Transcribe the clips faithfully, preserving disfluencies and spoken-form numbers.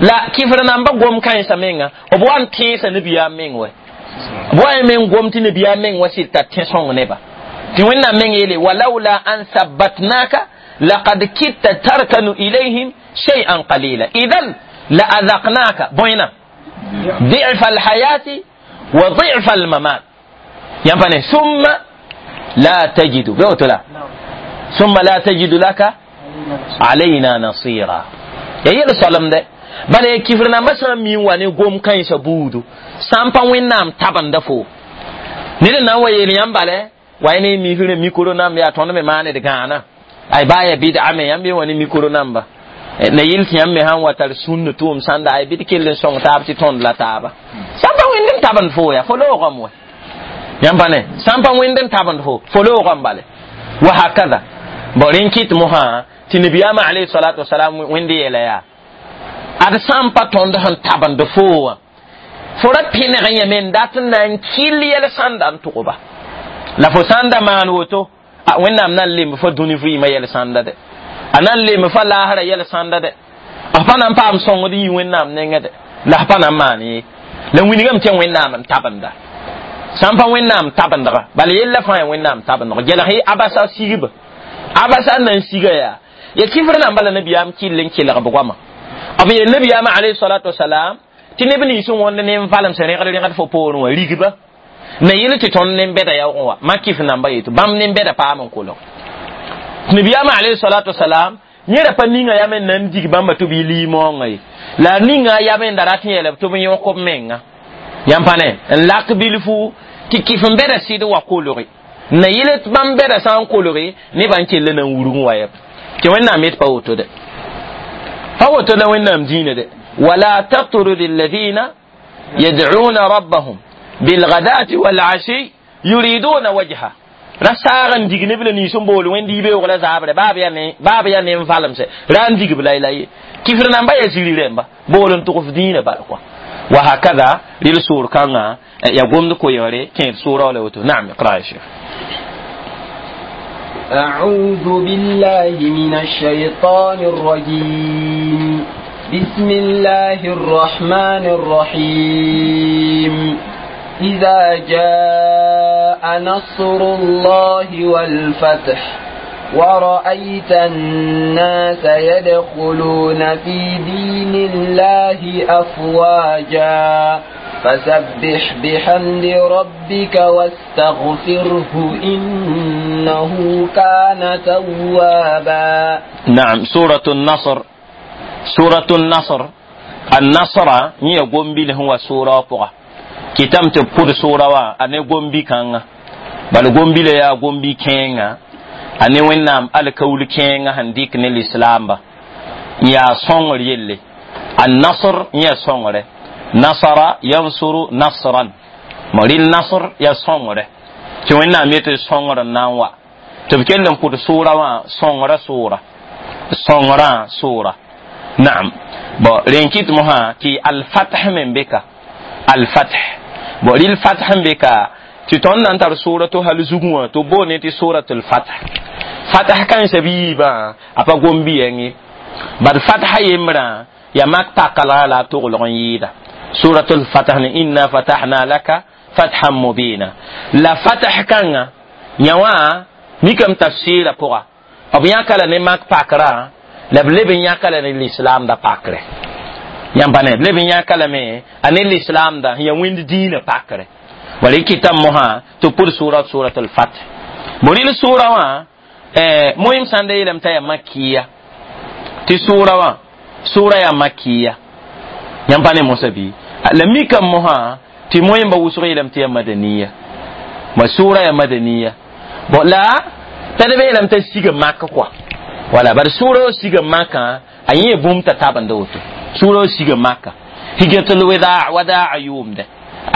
La kifr namba gom kãensã menga b wa n tẽesa nabiyaam meng wɛ b wa meng gom tɩ nabiyaam meng wa sɩd tar tẽ-sõng neba tɩ wẽnnaam meng yeele walaula an sabbatnaka laqad kitta tarkanu ilayhim shay'an qalila idan la azaqnaka bõena ضعف الحياة وضعف الممات ينفعني ثم لا تجد بيوت لا ثم لا تجد لك علينا نصيرا يا يل سلام ده bala kifr namba sã n mi n wa ne gom kãensã buudu sã n pa wẽnnaam tabenda fo ned n na n wa yeel yãmb bala wa ne misrã mikro namba yaa tõnd me maaned gãana ay baa ya bɩd'a me yãmb ye wa ne mikro namba na yɩl tɩ yãmb me sãn wa tar sũnd tʋʋm sãnda ay bɩ d kell n sõng taab tɩ tõnd la taaba sã n pa wẽnd n tabend fo yaa fo loogame wɛ yãmb pa ne sã n pa wẽnd n tabend fo fo loogame bale wa hakada bon rẽn kɩt mosã tɩ nabiyaamã alayhi salatu wasalam wẽnd yeela yaa ad sã n pa tõnd sẽn tabend fo wã fo ra pẽneg yẽme n dat n na n kɩl yɛl sãnda n tʋgba la fo sã n da maan woto a wẽnnaam na n lemb fo dũni vɩɩmã yɛl sãnda dɛ a na n lemb fa laasrã yɛl sãnda dɛ f pa na n paam sõngd yɩ wẽnnaam nengẽ dɛ la f pa na n maan ye la wilgame tɩ wẽnnaam n tabenda sã n pa wẽnnaam tabendga bala yella fãa ya wẽnnaam tabendg gelg y abasa sigba abasa n na n siga yaa ya kifr namba la nabiyaam kɩll n kelg b goama b yeel nabiyaamã alayhi salatu wasalam tɩ neb nins n wõnd ne n valemsã rẽgd rẽgd fo poorẽ wã rigba na yɩl tɩ tõnd nen-bɛda yaoogẽ wa mak kɩf namba yeto bãmb nen-bɛda paam n kolg nabiyaamã alayhi salatu wasalam yẽ ra pa ninga yam n na n dig bãmba tɩ b yɩ liimoongã ye la a ninga yam n da rat n yeela tɩ b yõk b menga yãmb pa ne n lak bilfu tɩ kɩf n bɛda sɩd wa kolge na yɩl tɩ bãmb bɛda sã n kolge nebã n kell na n wurg wa yɛb tɩ wẽnnaam yet pa woto dɛ pa woto la wẽnnaam dĩinã dɛ wala tatrud alladhina yad'una rabbahum bilghadati walashi yuriduna wajha ra saag n dig neb la nins n bool wẽnd yibeoog la zaabre baab yaa ne baab yaa ne n valemse ra n digb la la ye kifr namba ya ziri rẽmba bool n tʋgf dĩinã bala kɔa wa hakada rɩl soor kãngã ya gomd koeeore kẽed soora la woto naam iqra ya shekh أعوذ بالله من الشيطان الرجيم بسم الله الرحمن الرحيم إذا جاء نصر الله والفتح ورأيت الناس يدخلون في دين الله أفواجا فسبح بحمد ربك واستغفره إنه كان توابا. نعم سورة النصر سورة النصر النصر هي قنبل هو سورة بغا kitam tɩ pʋd soora wã a ne gombi kãnga bala gombi la yaa gombi kẽenga a ne wẽnnaam alkaul kẽenga sẽn dɩk ne lislaamba n yaa sõngr yelle annasr yẽ sõngre nasara yansuru nasran rɩl nasr yaa sõngre tɩ wẽnnaam yetɩ sõngr n na n wa tɩ b kell n pʋd soora wã sõngra soora sõngrã soora naam bon rẽn kɩt mosã tɩ alfath me n be ka alfath bon rɩl fath n be ka tɩ tõnd na n tar soora to hal zugẽ wã tɩ b boone tɩ soratul fath fath kãensã bɩ yiibã a pa gom-bi yɛng ye bad fatha yembrã ya mak pakalga la a toglg n yɩɩda suratul fath ne inna fatahna laka fathan mubina la fath kãnga yã wã mikame tafsɩɩrã pʋga b yãka la ne mak pakrã la b leb n yãka la ne lislaamda pakre yãmb pa ne b leb n yãka lame a ne lislaamda sẽn yaa wẽnd dĩinã pakre wala y kɩtame mosã tɩ b pʋd sʋʋra surat alfath bo rɩl sʋʋra wã moyem sãn da yeelame t'a yaa makiya tɩ sʋʋra wã sʋʋra yaa makiya yãmb pa ne mosã bɩ la mikame mosã tɩ moyemba wʋsg yeelame tɩ yaa madaniya ma sʋʋra yaa madaniya bon la t'a neb yeelame t'a siga mak kɔa wala bari sʋʋra wã siga makã a yẽ bũmb t'a tabenda woto sʋʋra wã siga maka hijratul wadaa wadaa yʋʋmdɛ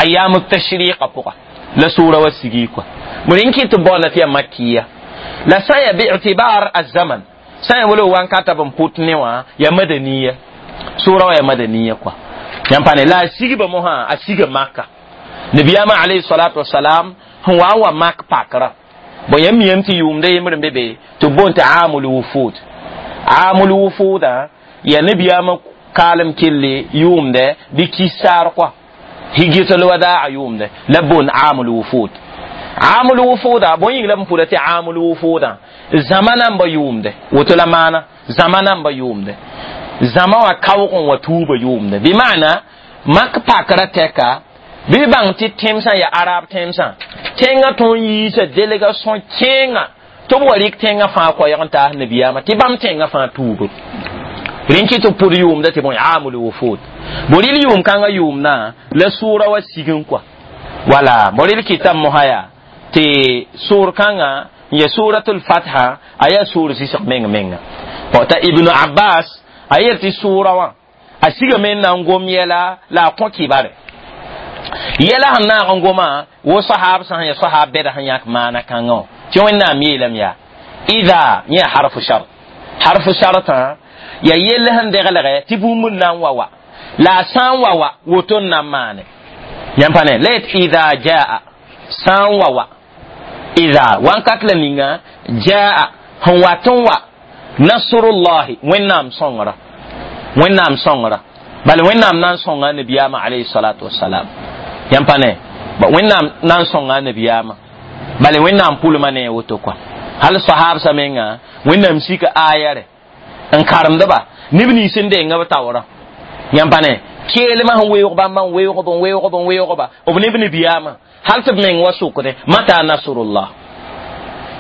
ayam tashriqa pʋga la sʋʋra wã sigi kɔa bõe n kɩt tɩ baoona tɩ yaa makiya la sã n yaa bi'tibar azaman sã n yaa wala wankata b n pʋt ne wã yaa madaniya sʋʋra wã yaa madaniya kɔa yãmb pa ne la a sigba mosã a siga maka nabiyaamã alayhi salatu wasalam sẽn wa n wa mak pakrã bon yãmb miyame tɩ yʋʋmda yembr n be be tɩ b boon tɩ amul wufud amul wufuda yaa nabiyaamã Kaalem kelli yʋʋmdɛ bɩ kisaar kɔa hijratul wadaa yʋʋmdɛ la boond aamul wufud aamul wufuda bõe yĩng la b pʋda tɩ aamul wufuda zãma namba yʋʋmdɛ woto la maana zãma namba yʋʋmdɛ zãma wã kaoog n wa tuuba yʋʋmdɛ bɩ maana mak pakra tɛka bɩ bãng tɩ tẽmsã ya arab tẽmsã tẽngã tõnd yiisa délégation kẽenga tɩ b wa rɩk tẽngã fãa koɛɛg n taas nabiyaamã tɩ bãmb tẽngã fãa tuube rẽn kɩ tɩ pʋd yʋʋmda tɩ bõe aamul wufud boril yʋʋm kãngã yʋʋmdã la sʋʋra wa sig n kɔa wala boril kɩta mosã yaa tɩ sʋʋr kãngã n ya suratul fatha a yaa sʋʋr zɩsg meng menga t'a ibnu abbas a yel tɩ sʋʋra wã a sigame n na n gom yɛla la a kõ kibare yɛla sẽn naag n goma wo sahab sã sẽn ya sahab bɛda sẽn yãk maana kãngã wã tɩ wẽnnaam yeelame yaa ida yẽ harfu shart harfu shartã ya yell sẽn deglgɛ tɩ bũmb n na n wa wa la a sã n wa wa woto n na n maane yãmb pa ne la yet ida jaa sã n wa wa ida wankat la ninga jaa sẽn wat n wa nasrullahi wẽnnaam sõngra wẽnnaam sõngra bala wẽnnaam na n sõnga nabiyaamã alayhi salatu wasalam yãmb pa ne wẽnnaam na n sõnga nabiyaamã bala wẽnnaam pʋlma ne woto kɔa hal sahabsã menga wẽnnaam sika ayare n karemdba neb nins n denga b taoorã yãmb pa ne keelmã sẽn weoog bãmba n weoogb n weoogb n weoogba b neb nabiyaamã hal tɩ b meng wa sʋkdẽ mata nasrullah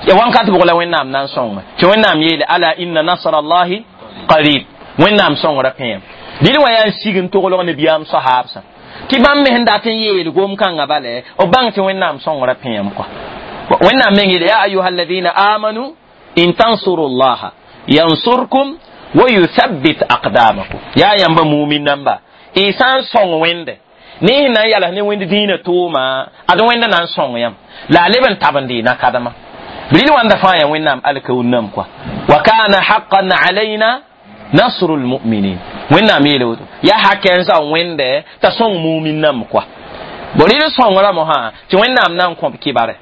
ya wankat bʋg la wẽnnaam na n sõngme tɩ wẽnnaam yeele ala inna nasrallahi qarib wẽnnaam sõngra pẽem dɩl wã yaa n sig n toglg nabiyaam sahaabsã tɩ bãmb me sẽn dat n yeel gom-kãngã bale b bãng tɩ wẽnnaam sõngra pẽem kɔa wẽnnaam meng yeele ya ayuha alladina amanu in tansuru llaha yansurkum wa yuthabbit aqdamakum yaa yãmba mumin namba y sã n sõng wẽnde ne sẽn na n yals ne wẽnd dĩinã tʋʋma ad wẽnda na n sõng yãmb la a leb n tabend y nakadma bril wãnda fãa yaa wẽnnaam alkaun-nam kɔa wa kana haqqan alayna nasru lmuminin wẽnnaam yeele woto yaa hakɛ n zao wẽnde t'a sõng mumin nam kɔa bo rɩl sõngra mosã tɩ wẽnnaam na n kõb kibare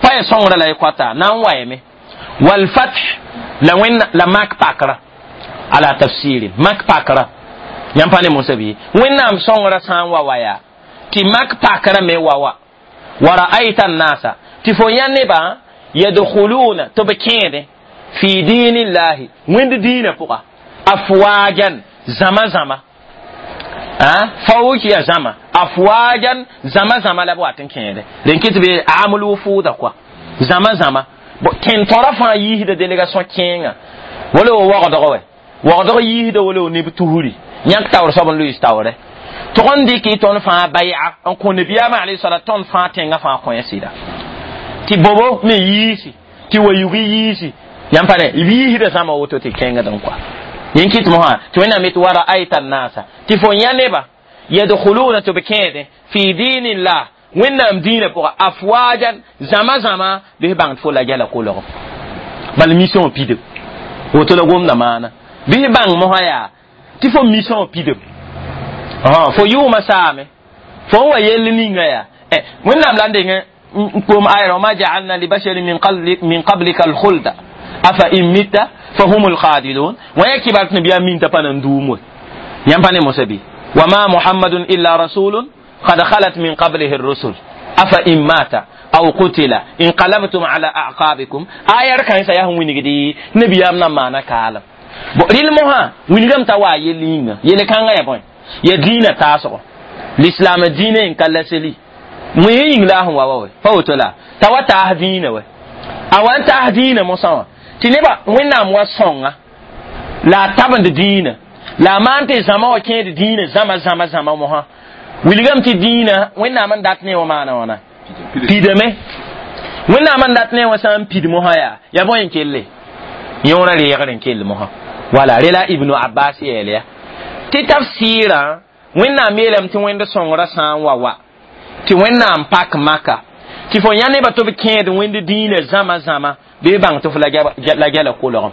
pa ya sõngra la y koata na n wayame walfath la wẽn la mak pakra ala tafsiri mak pakra yãmb pa ne mosã bɩ wẽnnaam sõngra sã n wa waya tɩ mak pakra me wa wa wa ra'aita annasa tɩ fo yã nebã yadkhuluna tɩ b kẽede fi dinillahi wẽnd diinã pʋga afwajan zama zama fawuk ya zama afwajan zama zama la b wat n kẽede rẽn kɩ tɩ be amul wufuuda kɔa zama zama tẽn-tõra fãa yiisda délégation kẽenga wala wo waoogdg wɛ waoogdg yiisda wala wo neb tusri yãk taoor soab n loees taoorɛ tʋg n dɩk y tõnd fãa bay'a n kõ nabiyaamã alayhi salat tõnd fãa tẽngã fãa kõ sɩda tɩ bobo me yiisi tɩ wa yug yiisi yãmb pa ne b yiisda zãma woto tɩ kẽngd n kɔa yẽn kɩt mosã tɩ wẽnnaam yetɩ wa ra'ayta annasa tɩ fo yã neba yadkhuluna tɩ b kẽedẽ fi dinillah wẽnnaam dĩinã pʋga afwajan zãma zãma bɩ bãng tɩ fo la gɛla kolgem bala mission pidem woto la gomda maana bɩ bãng mosã yaa tɩ fo mission pidem fo yʋʋmã saame fo n wa yell ninga yaa wẽnnaam la n deng n kom ayra wama jaalna libasharin min qablika alkhulda afa in mitta fahum alkhalidun wã yaa kibar tɩ nabiyaam min t'a pa na n duum we yãmb pa ne mosã bɩ wama muhammadun illa rasulun قد خلت من قبله الرسل أفإن مات أو قتل انقلبتم على أعقابكم آية كان سيهم وينجدي نبي أمنا ما نكالم ril mosã wilgame t'a waa yell yĩnga yele kãngã ya bõe ya dĩinã taasgo lislaam dĩinã n ka laseli wẽ yĩng la a sẽn wa wa we pa woto la t'a wa taas dĩinã wɛ a wa n taas dĩinã mosã wã tɩ nebã wẽnnaam wa sõnga la a tabend dĩinã la a maan tɩ zãma wã kẽed dĩinã zãma zãma zãma mosã wilgame tɩ dĩinã wẽnnaam n dat ne wã maana wãna pidame wẽnnaam n dat ne wã sã n pid mosã yaa ya bõe n kelle yõorã reegr n kell mosã wala rela ibnu abbas yeel ya tɩ tafsɩɩrã wẽnnaam yeelame tɩ wẽnd sõngrã sã n wa wa tɩ wẽnnaam pak maka tɩ fo yã nebã tɩ b kẽed wẽnd dĩinã zãma zãma bɩ bãng tɩ fo la gɛla kolgem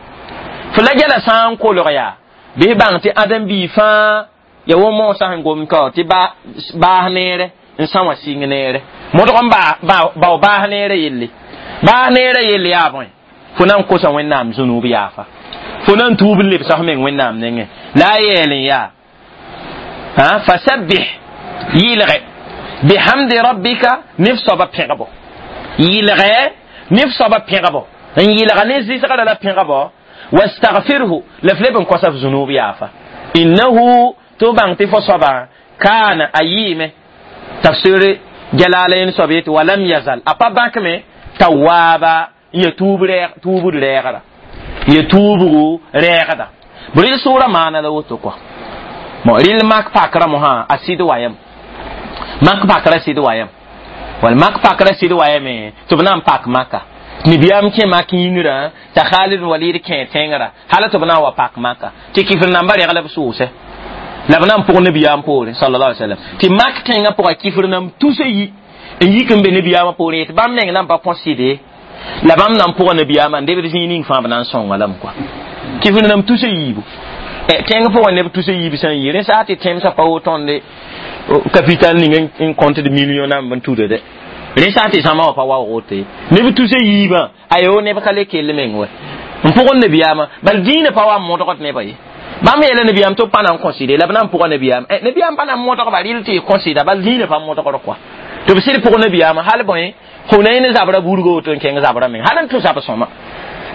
fo la gɛla sã n kolg yaa bɩ bãng tɩ ãdem-biig fãa ya wo moosã sẽn gom ka tɩ baas neere n sã wã sɩng neere modg n bao baas neerã yelle baas neerã yelle yaa bõe fo na n kosa wẽnnaam zũnub yaafa fo na n tuub n lebsa f meng wẽnnaam nengẽ la a yeel n yaa Ha fasabbih yɩlge bihamdi rabbika nef soaba pẽgbo yɩlge nef soaba pẽgbo n yɩlga ne zɩsgrã la pẽgbo wastaghfirhu la f leb n kosa f zunub yaafa innahu tɩ bãng tɩ fo soaba kaana a yɩɩme tafsir jalalayn soab yetɩ walam yazal a pa bãkme tawaba n ya tuubd rɛɛgda ya tuubgu rɛɛgda b rɩl sʋʋra maana la woto kɔa bon rɩl mak pakra mosã a sɩd wayam mak pakra sɩd wayam wala mak pakra sɩd wayame tɩ b na n pak maka nibiyaam kẽ mak yĩngrã t'a Khalid Walid kẽ tẽngrã hala tɩ b na n wa pak maka tɩ kifr namba regla b sʋʋsɛ la b na n pʋg nabiyaam poorẽ sallallahu alaihi wasallam tɩ mak tẽngã pʋga kifr nam tusa yi n yik n be nabiyaamã poorẽ yetɩ bãmb meng na n pa kõ sɩde la bãmb na n pʋga nabiyaamã n debd zĩig ning fãa b na n sõnga lame kɔa kifr nam tusa yiibu tẽng pʋgẽ neb tusa yiib sã n yi rẽ saa tɩ tẽmsã pa woto tõnd capital ning n compte de million namb n tuda dɛ rẽ sã tɩ zãma wã pa waoog woto ye neb tusa yiibã ayo neb ka le kell meng wɛ n pʋgẽ nabiyaamã bal dĩinã pa wa n modgd nebã ye bãmb yeela nabiyaam tɩ b pa na n kõ sɩde la b na n pʋga nabiyaam nabiyaam pa na n modgba rɩl tɩ y kõ sɩda bal dĩinã pa modgd kɔa tɩ b sɩd pʋg nabiyaamã hal bõe Hunayn zabra burgo woto n kẽng zabra meng hal n tʋ zab sõma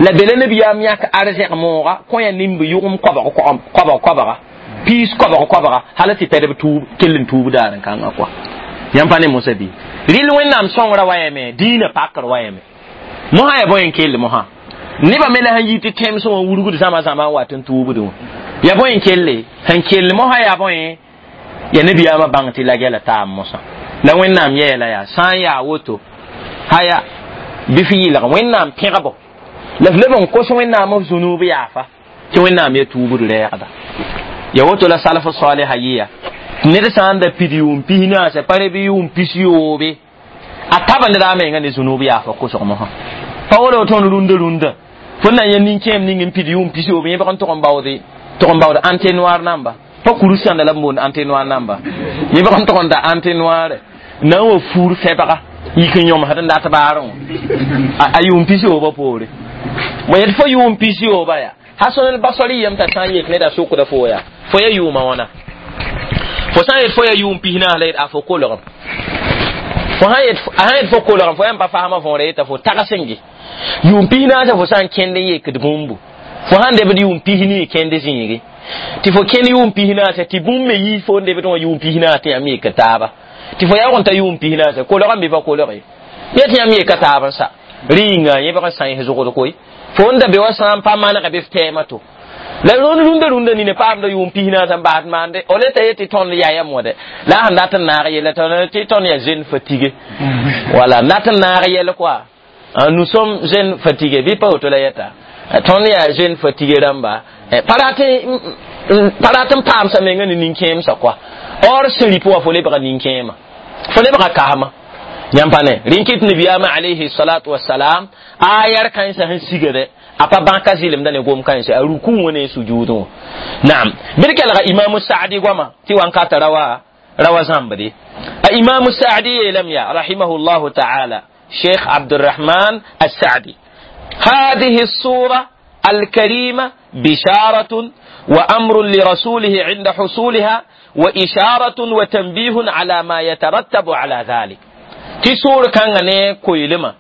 la bela nabiyaam yãk arzɛg mooga kõ ya nimb yʋgem koabg koabg koabga piis koabg koabga hala tɩ pɛdb tuub kell n tuub daar n kãngã kɔa yãmb pa ne mosã bɩ rɩl wẽnnaam sõngrã wayame dĩinã pakr wayame mosã ya bõe n kell mosã nebã me la sẽn yi tɩ tẽmsẽ wã wurgd zãma zãma n wat n tuubdẽ wã ya bõe n kelle sẽn kell mosã yaa bõe ya nabiyaamã bãng tɩ la gɛla taam mosã la wẽnnaam yɛɛla yaa sã n yaa woto haya bɩ f yɩlg wẽnnaam pẽgbo la f leb n kos wẽnnaam f zunub yaafa tɩ wẽnnaam ya tuubd rɛɛgda ya woto la salf saliha yɩya ned sã n da pid yʋʋm pis naasã pa bɩ yʋʋm pis yoobe a taba ned a menga ne zunub yaafa kosg mosã pa wala tõnd rũndã rũndã fo na n yã nin-kẽem ning n pid yʋʋm pis yoobe yẽ bg n tʋg n baoode tʋg n baood entonnoir namba pa kuru sãnda la b boond entonnoir namba yẽ bg n tʋg n da entonnoir na n wa fuur fɛbga yik n yõmsd n dat baarẽ wã a yʋʋm pis yoobã poore mo yet fo yʋʋm pis yooba yaa Hasan al-Basri yam t'a sã n yek ned a sokda fo yaa fo ya yʋʋmã wãna fo sã n yet fo ya yʋʋm pis naas la yet a fo kolgem fo sã yet fo kolgem fo yãmb pa fasmã võora yeta fo tags n ge yʋʋm pis naasã fo sã n kẽnd n yekd bũmbu fo sãn debd yʋʋm pis nii kẽnd zĩige tɩ fo kẽnd yʋʋm pis naasã tɩ bũmb me yi fo n debd wã yʋʋm pis naas tɩ yãmb yek taaba tɩ fo yaoog n ta yʋʋm pis naasã kolgame bɩ pa kolge yẽ tɩ yãmb yeka taab n sa rĩnga yẽ bg n sãens zʋgd koe fo n da be wa sã n pa manega bɩ f tɛɛmã to la rũnd rũndã rũndã nina paamda yʋʋm pis naasã n baasd maande o le t'a yetɩ tõnd yayam wã dɛ la a sẽn dat n naag yɛla tɩ tõnd yaa jeune fatigué voilà nat n naag yɛl quoi nous sommes jeunes fatigués bɩ pa woto la yɛta tõnd yaa jeune fatigué rãmba pa rat n paamsa menga ne nin-kẽemsã kɔa or sẽn rɩp wã fo lebga nin-kẽema fo lebga kasma yãmb pa ne rẽn kɩt nabiyaamã alayhi salatu wasalam a yɛr kãensã sẽn sigdɛ a pa bãka zɩlemda ne gom kãense a ruku wã ne sujuudẽ wã naam bɩ d kelga imamu saadi goama tɩ wankata rawa rawa zãmbde a imamu saadi yeelame yaa rahimahullahu taala شيخ عبد الرحمن السعدي هذه الصورة الكريمة بشارة وأمر لرسوله عند حصولها وإشارة وتنبيه على ما يترتب على ذلك تي سورة كان ne koylima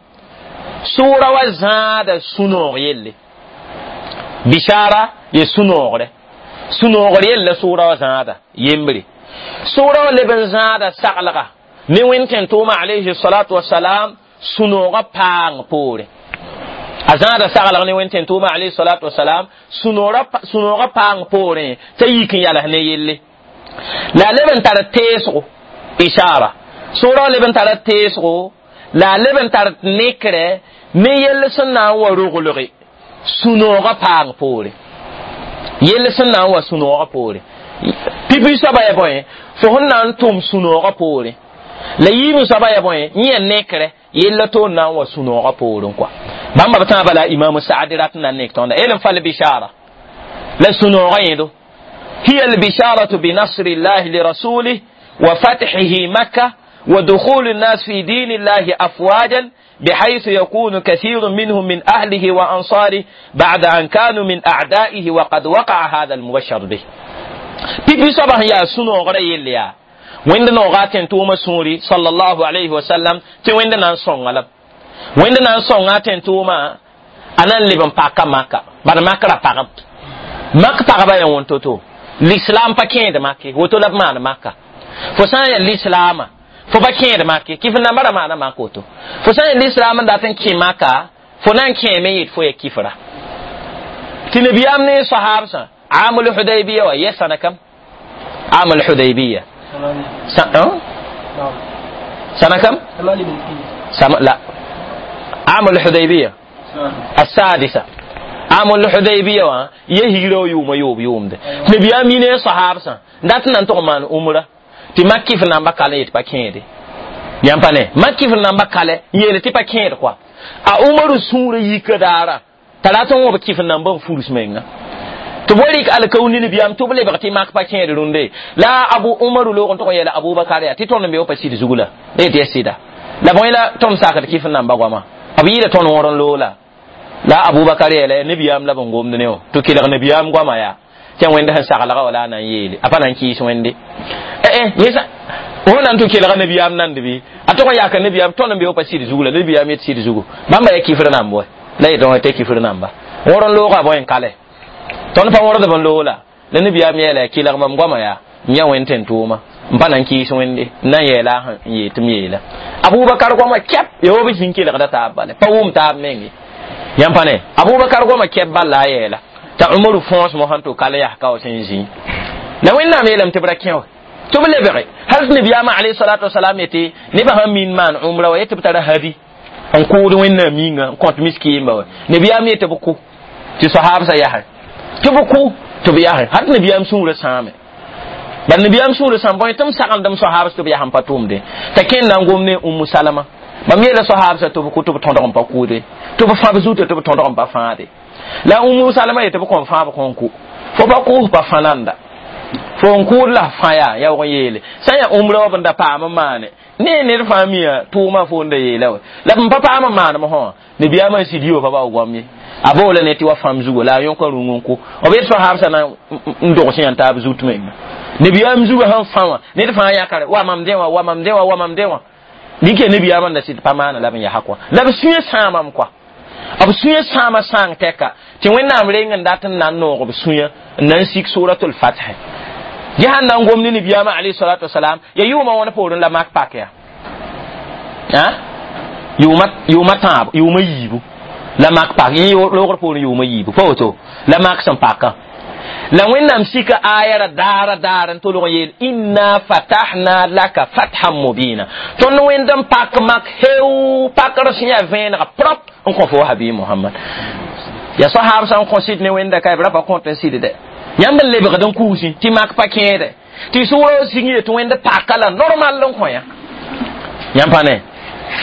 sura wa zãada sũ-noog yelle bishara ye sũ-noogre sũ-noogr yella sʋʋra wa zãada yembre sʋʋra wa leb n zãada saglga ne wẽnd tẽn-tʋʋma alayhi salatu wasalam sũ-noogã paang poore a zãada saglg ne wẽnd tẽn-tʋʋma alayhi salatu wasalam sũ-noogã paang poorẽ t'a yik n yals ne yelle la a leb n tar teesgo ishara sʋʋra wa leb n tara teesgo la a leb n tar nekrɛ ne yell sẽn na n wa roglge sũ-noogã paang poore yell sẽn na n wa sũ-noogã poore pipi soaba ya bõe fo sẽn na n tʋm sũ-noogã poore la yiim soaba ya bõe yẽ ya nekrɛ yella toon na n wa sũ-noogã poorẽ kɔa bãmba b tãabã la imamu saadi rat n na n nek tõnda el n fal bishara la sũ-noogã yẽdo hiya albisharatu binasri llahi lirasulih wa fathihi makka ودخول الناس في دين الله أفواجا بحيث يكون كثير منهم من أهله وأنصاره بعد أن كانوا من أعدائه وقد وقع هذا المبشر به. Pipi soaba sẽn yaa sũ-noogra yell yaa wẽnd nooga a tẽn-tʋʋmã sũuri sallallahu alayhi wa sallam tɩ wẽnd na n sõnga la wẽnd na n sõnga a tẽn-tʋʋmã a na n leb n paka maka bad mak ra pagb mak pagba yaa wõn to-to l'islam pa kẽed make woto la b maan maka fo sã n yaa l'islaama fo pa kẽed make kɩf namba ra maana mak woto fo sã n yaa l'islam n dat n kẽ maka fo na n kẽeme yet fo ya kifra tɩ nabiyaam ne sahabsã amul hudaybiya wa yɛsãna kam amul hudaybiya سنة كم؟ سم... لا عام الحديبية السادسة عام الحديبية وا يهيرو يوم يوم يوم ده نبي أمين صحابة دات نان مان أمرا تي مكي في نamba kale yet pa kẽede yãmb pa ne mak f namba kale n yeele tɩ pa kẽed koa a umaru sũurã yika daara t'a rat n wõb kɩf namba n furs menga tɩ b wa rɩk alkaoor ne nabiyaam tɩ b lebg tɩ mak pa kẽed rũndẽ la abu umaru loog n tʋg n yeela abubakar yaa tɩ tõnd n be wa pa sɩd zug la la yetɩ ya sɩda la bõe la tõnd sakd kɩf n namba goama b yɩɩda tõnd wõr n loola la abubakar yeela nabiyaam la b n gomd ne wã tɩ kelg nabiyaam goama yaa tɩ wẽnd sẽn saglga wala a na n yeele a pa na n kɩɩs wẽnde eh yẽsa wõ na n tɩ kelga nabiyaam nand bɩ a tʋg n yaaka nabiyaam tõnd n be wa pa sɩd zug la nabiyaam yet sɩd zugu bãmba ya kifr namba wa la yetɩ wã tɩ kifr namba wõr n looga bõe n kale tõnd pa wõrd b n loola la nabiyaam yeela ya kelg mam goama yaa n yã wẽnd tẽn-tʋʋma n pa na n kɩɩs wẽnde n na n yeela n yee tɩ m yeela abubakar goama kɛp ya wa b zĩn kelgda taab bale pa wʋm taab menge yãmb pa ne abubakar goama kɛp bal la a yeela t'a umaru fõos mosã tɩ kal yas ka wa sẽn zĩ la wẽnnaam yeelame tɩ b ra kẽ wa tɩ b lebge hal tɩ nabiyaamã alayhi salatu wasalam yetɩ nebã sãn min maan umra wa yetɩ b tara hadi n kʋʋd wẽnnaam yĩnga n kõt miskiimba wa nabiyaam yetɩ b kʋ tɩ sahabsã yasẽ tɩ b kʋ tɩ b yasẽ hal tɩ nabiyaam sũurã sãame bal nabiyaam sũurã sãam bõe tɩ m sagendm sahabs tɩ b yas n pa tʋʋmde t'a kẽnd na n gom ne umu salama mam yeela sahabsã tɩ b kʋ tɩ b tõdg n pa kʋʋde tɩ b fãb zutã tɩ b tõdg n pa fãade la umu salama yetɩ b kõn fãab kõn kʋ fo pa kʋʋs pa fã nanda fo n kʋʋd la fã yaa yaoog n yeele sã n yaa umra wa b n da paam n maane ne ned fãa mia tʋʋmã fo n da yeela wa la b n pa paam n maanem sã nabiyaamã n sid yo pa bao goam ye a boola ne tɩ wa fãmb zugo la a yõka rũng n kʋ b yet sahabsã na n dogs yã taab zut menga nabiyaam zugã sẽn fã wã ned fãa yãkare wa mam dẽ wã wa mam dẽ wã wa mam dẽ wã dɩk nabiyaamã n da sɩd pa maana la b n yasa kɔa la b sũyã sãamam kɔa b sũyã sãama sãang tɛka tɩ wẽnnaam reng n dat n na n noog b sũyã n na n sik suratul fath yã sãn na n gom ne nabiyaamã alayhi salatu wasalam ya yʋʋmã wãn poorẽ la mak pak ya yʋʋma yʋʋma tãab yʋʋma yiibu la mak pak yẽ loogr poorẽ yʋʋma yiibu pa woto la mak sẽn pakã la wẽnnaam sika aya ra daara daar n tolg n yeel inna fatahna laka fathan mubina tõnd wẽnd n pak mak heu pakr sẽn yaa vẽenega prop n kõ fo habi muhammad ya sahab sã n kõ sɩd ne wẽnda ka b ra pa kõt n sɩdde yãmb n lebgd n kuusi tɩ mak pa kẽede tɩ sʋʋra sig yetɩ wẽnd paka la normal n kõ yã yãmb pa ne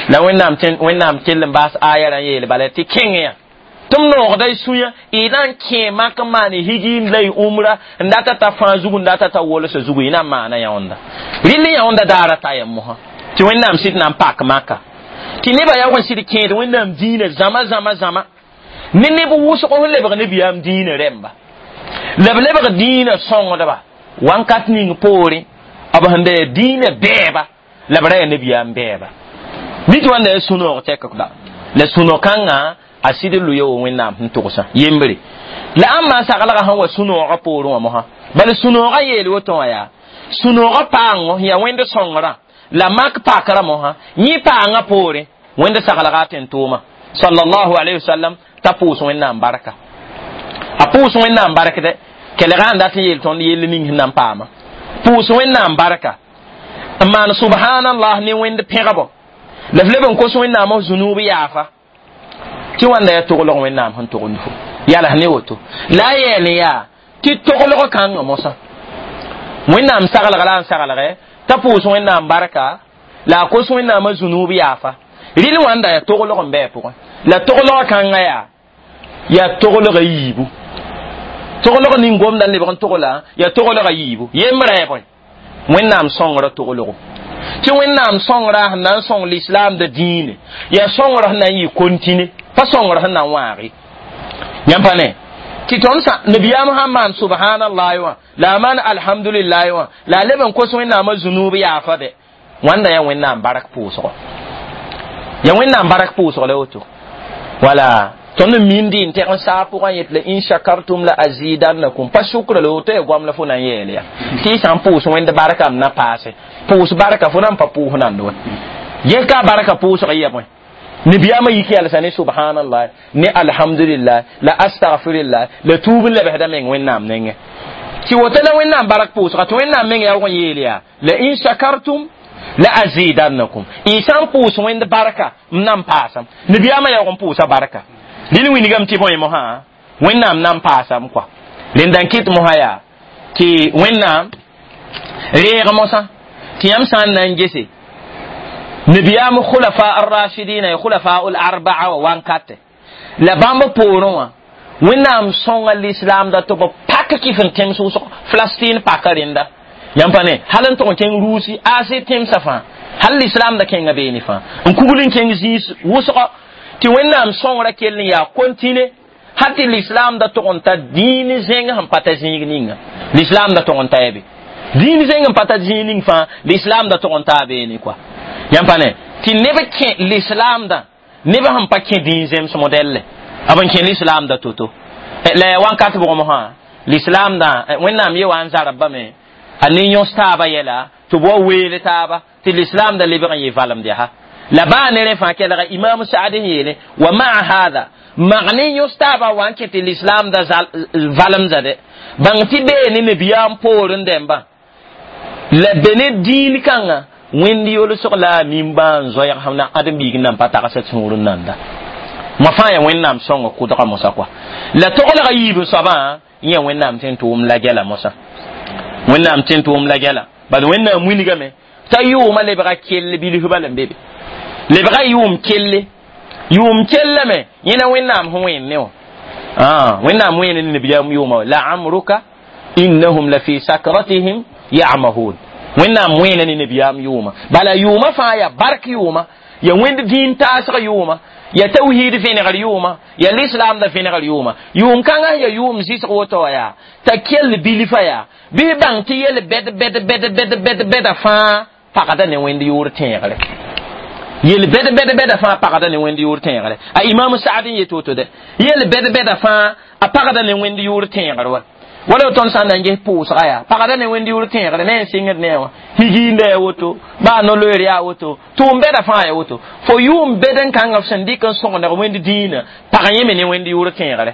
la wẽnnaam wẽnnaam kell n baas aya ra n yeel bala tɩ kẽng yã tɩ m noogda y sũyã y na n kẽ mak n maan higi la y umra n data t'a fãa zugu n data t'a wolsã zugu y na n maana yãonda rɩl yãonda daara ta yam mosã tɩ wẽnnaam sɩd na n pak maka tɩ nebã yaoog n sɩd kẽed wẽnnaam dĩinã zãma zãma zãma ne neb wʋsg sẽn lebg nabiyaam dĩinã rẽmba la b lebg dĩinã sõngdba wãnkat ning poorẽ b sẽn da yaa dĩinã bɛɛba la b ra yaa nabiyaam bɛɛba mi tɩ wãnda yaa sũ-noog tɛk da la sũ-no-kãngã a sɩd n lʋya wa wẽnnaam sẽn togsã yembre la ãmba saglgã sẽn wa sũ-noogã poorẽ wã mosã bala sũ-noogã yeel woto wã yaa sũ-noogã paango yaa wẽnd sõngrã la mak pakra mosã yẽ paangã poorẽ wẽnd saglga a tẽn-tʋʋma sallallahu alayhi wa sallam t'a pʋʋs wẽnnaam barka a pʋʋs wẽnnaam bark dɛ kelgã n dat n yeel tõnd yell ning sẽn na n paama pʋʋs wẽnnaam barka n maan subhanallah ne wẽnd pẽgbo la f leb n kos wẽnnaam f zũnuub yaafa tɩ wãnda yaa toglg wẽnnaam sẽn togend fo yals ne woto la a yeel n yaa tɩ toglg kãngã mosã wẽnnaam saglg la n saglgɛ t'a pʋʋs wẽnnaam barka la a kos wẽnnaamã zũnuub yaafa rɩl wãnda yaa toglg n bɩ a pʋgẽ la toglg kãngã yaa yaa toglga yiibu toglg ning gomda n lebg n togla yaa toglga yiibu yembrã yaa bõe wẽnnaam sõngrã toglgo tɩ wẽnnaam sõngrã sẽn na n sõng l'islam da dĩine yaa sõngrã sẽn na n yɩ kontine pa sõngrã sẽn na n wãage yãmb pa ne Tɩ tõnd sã nabiyaam sãn maan subhanallah wã la a maan alhamdulillah wã la a leb n kos wẽnnaamã zunub yaafa bɛ wãnda yaa wẽnnaam bark pʋʋsgɔ ya wẽnnaam bark pʋʋsg la woto wala tõnd n mindi n tɛg n saag pʋgã yet la in shakartum la azidannakum pa sʋkra la woto ya goam la fo na n yeel ya tɩ y sã n pʋʋs wẽnd barka m na paase pʋʋs barka fo na n pa pʋʋs nand wa ges ka barka pʋʋsg yɛ bõe nabiyaamã yik yalsa ne subhanallah ne alhamdulillah la astaghfirullah la tuub n lebsda meng wẽnnaam nengẽ tɩ woto la wẽnnaam bark pʋʋsga tɩ wẽnnaam meng yaa wʋg n yeel yaa la in shakartum la azidannakum y sã n pʋʋs wẽnd barka m na n paasam nabiyaamã yaoog n pʋʋsa barka rɩl wilgame tɩ bõe mosã wẽnnaam na n paasam kɔa rẽnda n kɩt mosã yaa tɩ wẽnnaam reeg mosã tɩ yãmb sã n na n gese nabiyaam khulafa arrashidina ya khulafa ul arbaa wa wankate la bãmb poorẽ wã wẽnnaam sõnga l'islam da tɩ b pak kɩf n tẽms wʋsg Falastin paka rẽnda yãmb pa ne hal n tʋg n kẽng Ruusi Asie tẽmsã fãa hal l'islam da kẽnga beene fãa n kugl n kẽng zĩis wʋsgo tɩ wẽnnaam sõngra kell n yaa kontine hal tɩ l'islam da tʋg n ta dĩin zẽng sẽn pa ta zĩig ninga l'islam da tʋg n ta ya be dĩin zẽng n pa ta zĩig ning fãa l'islam da tʋg n taa beene kɔa yãmb pa ne tɩ neb kẽ l'islam da neb sẽn pa kẽ dĩin zems modɛlle b n kẽ l'islam da to-to la ya wãnkat bʋg mosã l'islam da wẽnnaam ye wa n zarb bame a ne yõs taaba yɛla tɩ b wa weel taaba tɩ l'islam da lebg n yɩ valemd yaa la baa ne rẽ fãa kelga imam saad sẽn yeele wa maa hada mag ne yõs taaba wa n kẽ tɩ l'islam da valemda dɛ bãng tɩ bee ne nabiyaam poorẽ dẽmbã la be ne dĩin kãnga wẽnd yolsg la a nimbãan zoɛɛg sẽn na ãdem-biig n nan pa tagsd sũur n nanda ma fãa yaa wẽnnaam sõnga kʋdga mosã kɔa la toglga yiib soabã yẽ wẽnnaam tɩ n tʋʋm la gɛla mosã wẽnnaam tɩ n tʋʋm la gɛla bad wẽnnaam wilgame t'a yʋʋmã lebga kell bilf bala n be be lebga yʋʋm kelle yʋʋm kellame yẽ la wẽnnaam sẽn wẽen ne wã wẽnnaam wẽen ne nabiyaam yʋʋma la amruka innahum la fi sakratihim yamahun wẽnnaam wẽena ne nabiyaam yʋʋma bala yʋʋma fãa yaa bark yʋʋma ya wẽnd dĩin taasg yʋʋma ya tawhid vẽnegr yʋʋma ya l'islam da vẽnegr yʋʋma yʋʋm kãngã ya yʋʋm zɩsg woto wã yaa t'a kell bilfã yaa bɩ bãng tɩ yel bɛd bɛd bɛd bɛd bɛd bɛda fãa pagda ne wẽnd yʋʋr tẽegre yel bɛd bɛd bɛda fãa pagda ne wẽnd yʋʋr tẽegre a imam saad n yet woto dɛ yel bɛd bɛda fãa a pagda ne wẽnd yʋʋr tẽegr wa wala tõnd sã n na n ges pʋʋsga yaa pagda ne wẽnd yʋʋr tẽegre ne n sɩngd ne wã higiinda ya woto baa no-loeer yaa woto tʋʋm bɛda fãa ya woto fo yʋʋm bɛd n kãngã f sẽn dɩk n sõgendg wẽnd dĩinã pag yẽme ne wẽnd yʋʋr tẽegre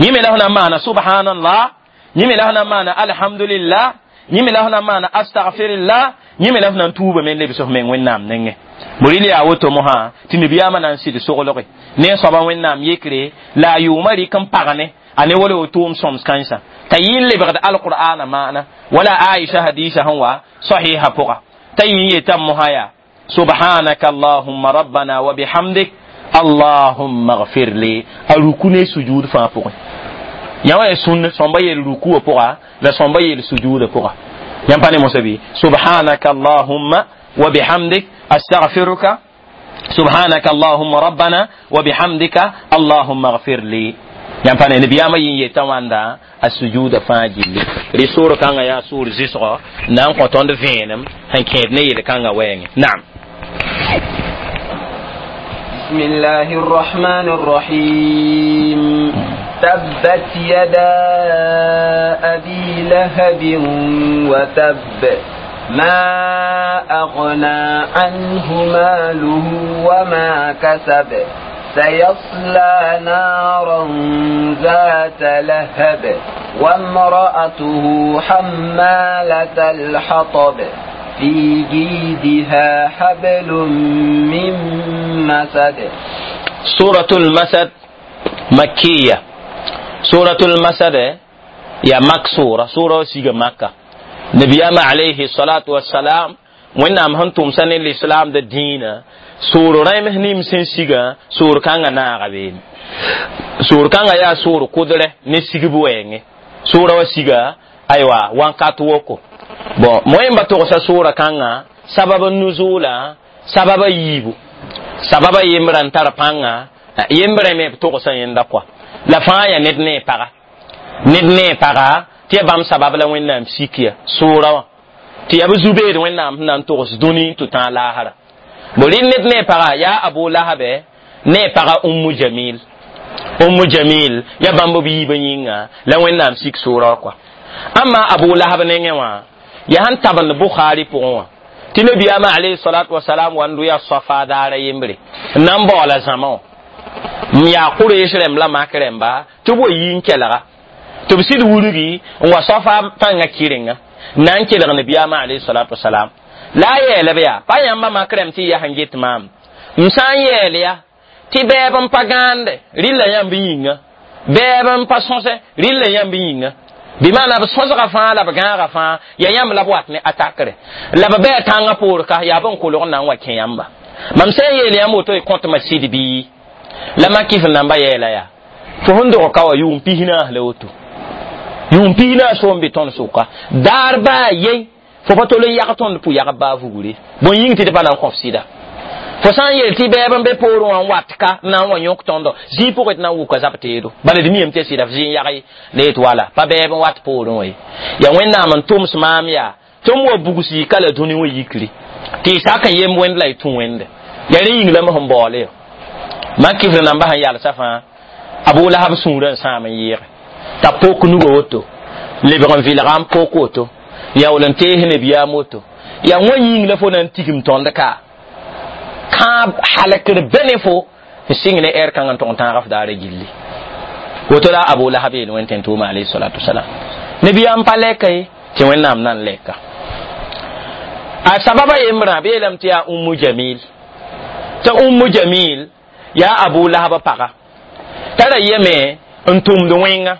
yẽme la f na n maana subhanallah yẽme la f na n maana alhamdulillah yẽme la f na n maana astaghfirullah yẽme la f na n tuuba me n lebs f meng wẽnnaam nengẽ borɩl yaa woto mosã tɩ nabiyaamã na n sɩd soglge ne soaba wẽnnaam yekre la a yʋʋmã rɩk n pagne a ne wala tʋʋm sõms kãensã t'a yɩ n lebgd alqur'ana maana wala aisha hadisa sẽn wa sahiha pʋga t'a yɩ n yetame mosã yaa subhanaka allahumma rabbana wa bihamdik allahumma gfir li a ruku ne sujud fãa pʋgẽ yã wã ya sũnn sõmba yel rukuwã pʋga la sõmba yel sujuudã pʋga yãmb pa ne mosã bɩ subhanaka allahumma wa bihamdik astaghfiruka subhanaka allahumma rabbana wa bihamdika allahumma gfir li yãmb pa ne nabiyaamã yɩ n yetã wãnda a sujuuda fãa gilli rɩ soor kãngã yaa soor zɩsgɔ na n kõ tõnd vẽenem sẽn kẽed ne yel-kãngã wɛɛngẽ naam بسم الله الرحمن الرحيم تبت يدا أبي لهب وتب ما أغنى عنه ماله وما كسب سيصلى نارا ذات لهب وامرأته حمالة الحطب في جيدها حبل من مسد. سورة المسد مكية. سورة المسد يا مكسورة سورة سيغ مكة. نبيام عليه الصلاة والسلام وإنام هنتم سنة الإسلام الدين سورة رأي مهنيم سن سيغ سورة كانغا ناغبين سورة كانغا يا سورة قدرة نسيغ بوينغ سورة وسيغ أيوة وانكات وكو bon moyen ba togsa sura kãngã sabab nuzula sababa yiibu sababa yembrã n tar pãnga yembrã me b togsa yẽnda kɔa la fãa ya ned ne paga Ned ne paga tɩ ya bãmb sabab la Wẽnnaam sikya sʋʋra wã tɩ ya b zu-beed Wẽnnaam sẽn na n togs dũni tɩ tãag laasra. Bo rɩ ned ne paga yaa Abu Lahabe ne paga Ummu Jamil. Ummu Jamil ya bãmb b yiibã yĩnga la Wẽnnaam sik sʋʋra wã kɔa. Amma Abu Lahab nengẽ wã ya sẽn tabend Bukhari pʋgẽ wã tɩ nabiyaamã alayhi salatu wasalam wa n dʋ ya Safa daara yembre n na n baoola zãma wã n yaa Quraysh rãmb la Mak rãmba tɩ b wa yi n kelga tɩ b sɩd wurgi n wa Safa pãngã kɩrenga n na n kelg nabiyaamã alayhi salatu wasalam la a yɛɛla b yaa pa yãmba Mak rãmb tɩ y yaa sẽn get maam m sã n yɛɛl ya tɩ bɛɛb n pa gãande rɩlla yãmb yĩnga bɛɛb n pa sõsɛ rɩlla yãmb yĩnga bɩ maana b sõsga fãa la b gãaga fãa ya yãmb la b wat ne atakre la b bɛɛ tãngã poor ka yaa bõn kolg n na n wa kẽ yãmba mam sã n yeel yãmb woto y kõtmã sɩd bii la makɩf namba yɛɛla yaa fo sẽn dog ka wa yʋʋm pis naas la woto yʋʋm pis naas so n be tõnd sʋka daar baa yen fo pa tol n yag tõnd pʋ-yagb baa vugre bõn yĩng tɩ d pa na n kõf sɩda fo sã n yeel tɩ bɛɛb n be poorẽ wã n wat ka n na n wa yõk tõndo zĩig pʋgẽ tɩ na n wʋka zab teedo bala d miyame tɩ ya sɩda f zĩ n yag la yet wala pa bɛɛb n wat poorẽ wã ye yaa Wẽnnaam n tʋms maam yaa tɩ m wa bugs yika la dũni wã yikri tɩ y sak n yemb wẽnd la y tũ wẽnde yaa rẽ yĩng la m sẽn baoole yo makɩfr namba sẽn yalsã fãa Abu Lahab sũurã n sãam n yɩɩge t'a pok nuga woto lebg n vɩlga n pok woto yaool n tees nabiyaam woto yaa wã yĩng la fo na n tigim tõnd ka kãab halakr bene fo n sɩng ne ɛr kãng n tʋg n tãag f daara gilli woto la Abu Lahab yeel wẽn tẽn tʋʋma alayhi salatu wasalam nabiyaam pa lɛka ye tɩ Wẽnnaam na n lɛka a sababa yembrã b yeelame tɩ yaa Ummu Jamil tɩ Ummu Jamil yaa Abu Lahab paga t'a ra yeme n tʋmd wẽnga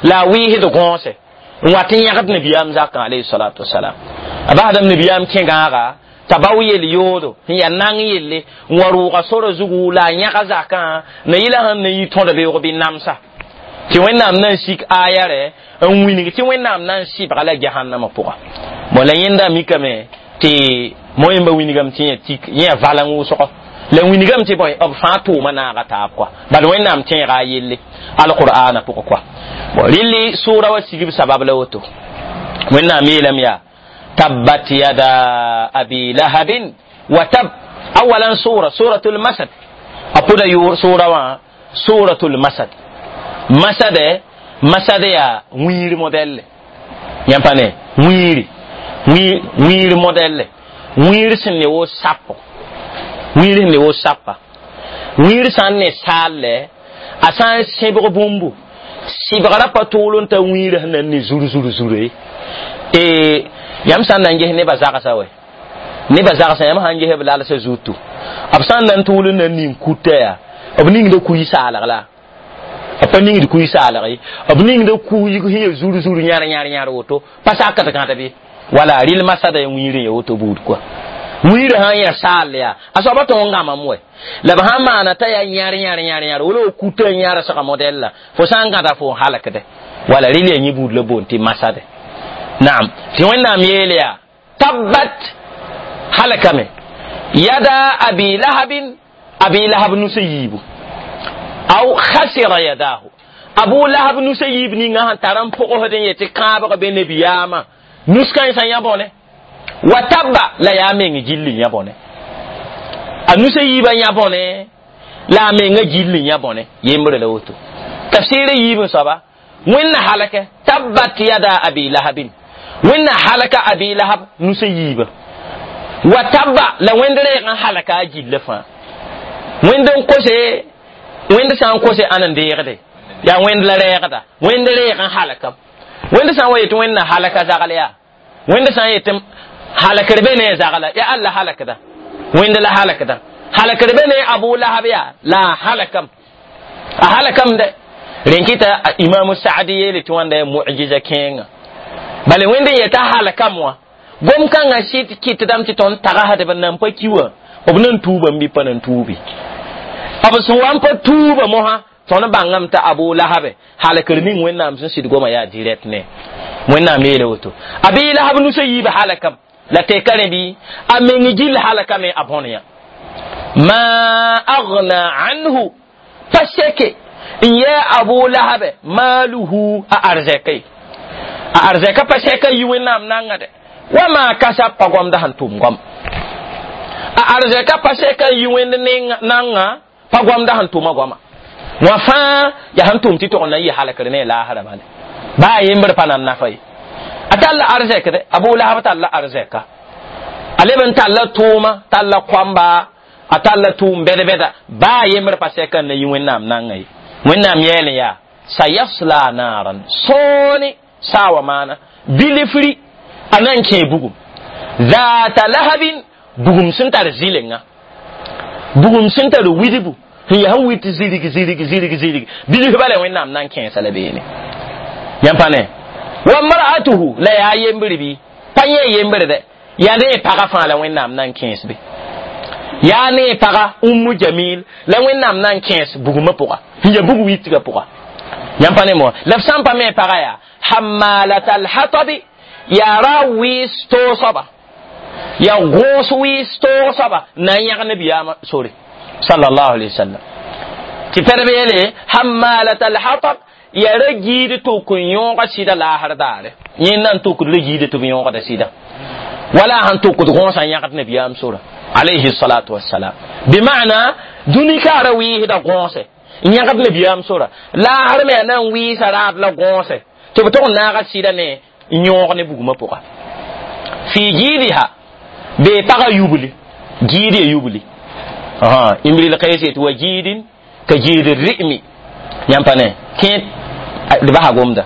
la a wɩɩsd gõose n wat n yãgd nabiyaam zakã alayhi salatu wasalam a basdame nabiyaam kẽ gãaga t'a bao yel yoodo n yaa nang yelle n wa rʋʋga sora zugu la a yãga zakã na yɩla sẽn na yi tõd beoog bɩ namsa tɩ Wẽnnaam na n sik aya rɛ n wilg tɩ Wẽnnaam na n sɩbga la jahannamã pʋga bon la yẽnda mikame tɩ moẽmba wilgame tɩ yẽ tik yẽ val n wʋsgo la wilgame tɩ bõe b fãa tʋʋma naaga taab kɔa bal Wẽnnaam tẽega a yelle alqur'ana pʋgẽ kɔa bon rɩlli sʋʋra wa sigb sabab la woto Wẽnnaam yeelame yaa tabbat yada abi lahabin wa tab awalan sura suratul masad a pʋda sʋʋra wã suratul masad masade masade yaa wĩir modɛlle yãmb pa ne wĩiri wĩir modɛlle wĩir sẽn ne wo sapo wĩir sẽn ne wo sapa wĩir sã n ne saalle a sã n sẽbg bũmbu sɩbgra pa tʋʋl n ta wĩirã sẽn na n ne zur zur zure e yãmb sã n na n ges nebã zagsã wɛ nebã zagsã yãmb sã n ges b lalsã zutu b sã n na n tʋʋl n na n ning kuta yaa b ningda kuy saalg la b pa ningd kuy saalg ye b ningda kuyg sẽn ya zur zur yãr yãr yãr woto pa sakd gãd bɩ wala rɩl masada ya wĩir n ya woto buud kɔa wĩirã sã n yã saal yaa a soaba tõog n gãmam wɛ la b sã n maana t'a yaa yãr yãr yãr yãr wala kuta n yãrsga modɛl la fo sã n gãda fo n halkde wala rɩl yaa yẽ buud la boond tɩ masade naam tɩ Wẽnnaam yeel yaa tabbat halkame yada abi lahabin abi lahab nusa yiibu aw khasira yadahu Abu Lahab nusa yiib ninga sẽn tar n pʋgsd n yetɩ kãabg be nabiyaamã nus kãensã yã bõne wa tabba la yaa meng gilli yã bõne a nusa yiibã yã bõne la a menga gilli yã bõne yembre la woto tafsɩɩrã yiib n soaba Wẽnna halakɛ tabbat yada abi lahabin Wẽnna halaka abi Lahab nusa yiibã wa tabba la wẽnd reeg n halaka a gilla fãa wẽnd n kose wẽnd sã n kose ãn n deegde yaa wẽnd la rɛɛgda wẽnd reeg n halakam wẽnd sã n wa yetɩ Wẽnna halaka zagl yaa wẽnd sã n yetɩ halakr be ne zagla yaa alla halakda wẽnd la halakda halakr be ne Abu Lahab yaa la a halakam a halakam dɛ rẽn kɩta Imamu Saadi yeele tɩ wãnda ya mujiza kẽenga bala wẽnd n yeta halakam wã gom kãngã sɩd kɩtdame tɩ tõnd tagsdb n nan pa ki wã b nan tuuba n bɩ pa nan tuubi b sẽn wa n pa tuuba mosã tõnd bãngame t'a Abu Lahabe halakr ning Wẽnnaam sẽn sɩd goma yaa direct ne Wẽnnaam yeele woto Abi Lahab nusa yiib halakam la teka rẽ bɩ a meng gill halakame a bõn yã ma agna anhu pa seke N yɛ Abu Lahab maaluhu a arzɛke a arzɛka pa sɛka yi Wẽnnaam nanga dɛ wa maa kasab pa goamda sẽn tʋm goam a arzɛka pa sɛka yi Wẽnd nanga pa goamda sẽn tʋma goama wã fãa yaa sẽn tʋm tɩ tog n na n yɩ halkr ne laasra bale baa yembr pa nan nafa ye a tall arzɛk dɛ Abu Lahab talla arzɛka a leb n talla tʋʋma talla koamba a talla tʋʋm bɛd-bɛda baa yembr pa sɛka n na yi Wẽnnaam nanga ye Wẽnnaam yɛɛl yaa sayasla naran sõone saa wa maana bilifri a na n kẽe bugum zaata lahabin bugum sẽn tar zɩlenga bugum sẽn tar widbu sẽn yaa sẽn wit zirig zirig zirig zirig bilf bala Wẽnnaam na n kẽesa la beene yãmb pa ne wa mar'atuhu la yaa yembr bɩ pa yẽ yembr dɛ yaa ne pagã fãa la Wẽnnaam na n kẽes be yaa ne pagã Ummu Jamil la Wẽnnaam na n kẽes bugumã pʋga sẽn yaa bug witgã pʋga yãmb pa ne mo la f sã n pa me pagã yaa hammalata alhatabi yaa ra wɩɩs toog soaba yaa gõos wɩɩs toog soaba na n yãg nabiyaamã sore sallallahu alaihi wasallam tɩ pɛdb yeele hammalata alhatab yaa ra giid tʋk n yõoga sɩda laasr daare yẽ na n tʋkd ra giida tɩ b yõogda sɩda wala sãn tʋkd gõosã n yãgd nabiyaam sora alayhi salatu wassalam bima'na dũni ka ra wɩɩsda gõose n yãgd nabiyaam sora laasr me a na n wɩɩsa raad la gõose tɩ b tog n naaga sɩda ne n yõog ne bugmã pʋga fi giidiha bee pagã yubli giid ya yubli Imril Qays yet wa giidin ka giid ri'mi yãmb pa ne kẽ d basa gomda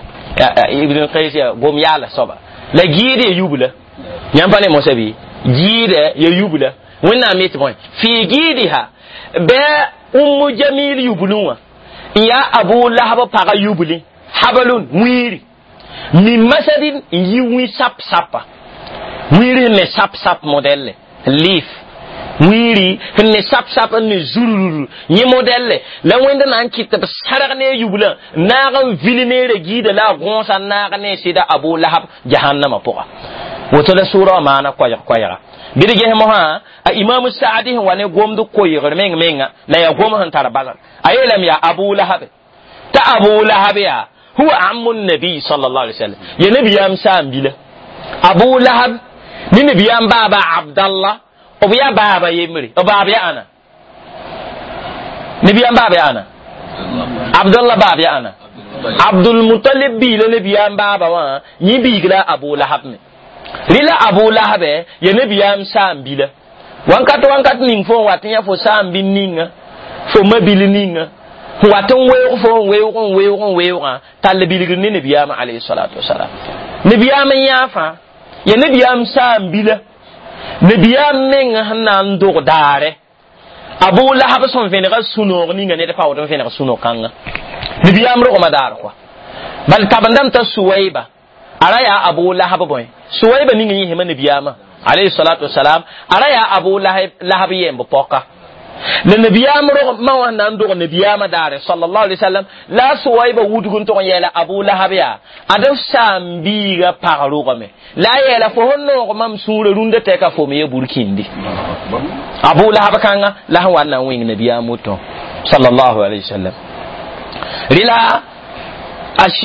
Ibn Qays ya gom yaala soaba la giid ya yubla yãmb pa ne mosa bɩ giida ya yubla Wẽnnaam yetɩ bõe fi giidiha bɩ Ummu Jamil yublẽ wã n yaa Abu Lahab pagã yubli habalun wĩiri min masadin n yi wĩ sap sapa wĩiri sẽn ne sap sap modɛlle liif wĩiri sẽn ne sap sap n ne zurururu yẽ modɛlle la Wẽnd na n kɩt tɩ b sãrg ne a yublã naag n vil neera giida la a gõosa n naag ne sɩda Abu Lahab jahannama pʋga woto la sʋʋra wã maana koɛɛg koɛɛga bɩ d ges mosã a Imam Saadi sẽn wa ne gomd koeegr meng menga la yaa gom sẽn tar basg a yeelame yaa Abu Lahab t'a Abu Lahab yaa huwa ammu nabi sallallahu alaihi wasallam ya nabiyam saam bila Abu Lahab ni nabiyam baba Abdallah b yaa baaba yembre b baab ya ãna nabiyam baab ya ãna Abdallah baab ya ãna Abdul Mutalib biila nabiyam baaba wã yẽ biig la Abu Lahab me rɩla Abu Lahab ya nabiyam saam bila wankat wankat ning fo n wat n yã fo saam bil ninga fo ma-bil ninga n wat n weoog fo n weoog n weoog n weoogã tall bilgr ne nabiyaamã alayhi salatu wasalam nabiyaam n yã fãa ya nabiyaam saam bila nabiyaam meng sẽn na n dog daare Abu Lahab sẽn vẽnega sũ-noog ninga ned paood n vẽneg sũ-noog kãnga nabiyaam rogma daar kɔa bal tabendame t'a Suwaiba a ra yaa Abu Lahab bõe Suwaiba ning yẽsema nabiyaamã alayhi salatu wasalam a ra yaa Abu Lahab yemb pɔka la nabiyaam rog ma wã na n dog nabiyaamã daare sallallahu alaihi wasallam la Suwaiba wudg n tog n yɛɛla Abu Lahab yaa ad f saam-biigã pag rogame la a yɛɛla fo sẽn noog mam sũurã rũndã tɛka fo me ya burkindi Abu Lahab kãnga la sẽn wa n na n wẽng nabiyaam woto sallallahu alaihi wasallam rɩla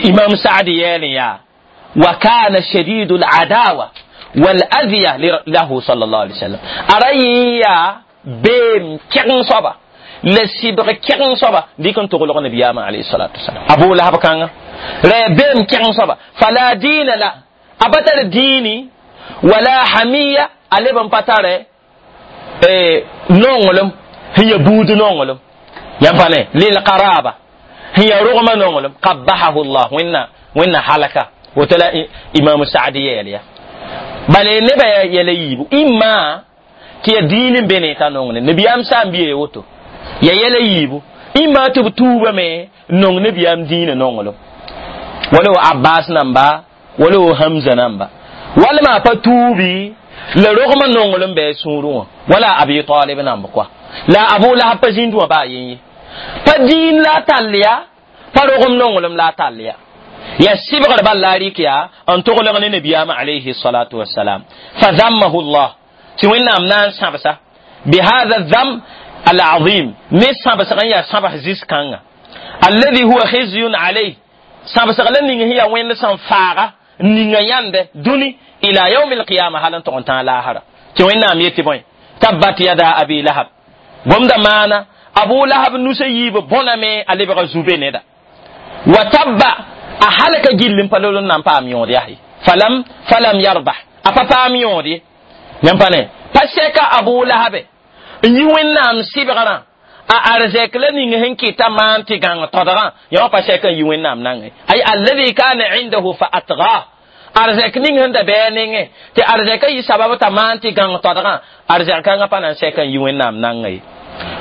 Imam Saadi yɛɛl n yaa wa kana shadidu al-adawa wal adhiya lahu sallallahu alaihi wasallam a ra yẽ yaa beem kɛgeng soaba la sɩbg kɛgeng soaba dɩk n toglg nabiyaamã alayhi salatu wasalam Abu Lahab kãnga ra yaa beem kɛgeng soaba fala diina la a pa tar diini wala hamiya a leb n pa tare nonglem sẽn ya buud nonglem yãmb pa ne lilqaraba sẽn ya rogmã nonglem qabbahahu llah wẽnna wẽnna halaka woto la Imam Saadi yɛɛl ya bala nebã yɛla yiibu imma tɩ ya diin n be ne t'a nong ne nabiyaam saam biye woto ya yɛla yiibu imma tɩ b tuubame n nong nabiyaam dĩinã nonglem wala wo Abbas namba wala wo Hamza namba walma pa tuubi la rogmã nonglem bɩ a sũurẽ wã wala Abi Talib namb koa la Abu Lahab pa zĩnd wã baa yen ye pa dĩin la a tall ya pa rogem nonglem la a tall ya ya sɩbgr bal la a rɩk yaa n toglg ne nabiyaamã alayhi salatu wassalam fa zammahu llah tɩ Wẽnnaam na n sãbsa bihada dham alazim ne sãbsg n yaa sãbs zis-kãnga Alladhi huwa khizyun alayh sãbsg la ning sẽn yaa wẽnd sẽn faaga n ninga yãnde dũni ila yaumi alqiyama hal n tog n tãag laasra tɩ Wẽnnaam yetɩ bõe tabbat yada abi lahab gomda maana Abu Lahab nusa yiib bõname a lebga zube neda wa tabba a halka gill n pa lol n na n paam yõod yaa falam falam yarbah a pa paam yõod ye yãmb pa ne pa sɛka Abu Lahabe n yi Wẽnnaam sɩbgrã a arzɛk la ning sẽn kɩta maan tɩ gãng todgã yã wã pa sɛka n yi Wẽnnaam nangẽ ay alladhi kana indahu fa atgah arzɛk ning sẽn da bɩ a nengẽ tɩ arzɛka yɩ sabab t'a maan tɩ gãng todgã arzɛk kãngã pa na n sɛka n yi Wẽnnaam nangã ye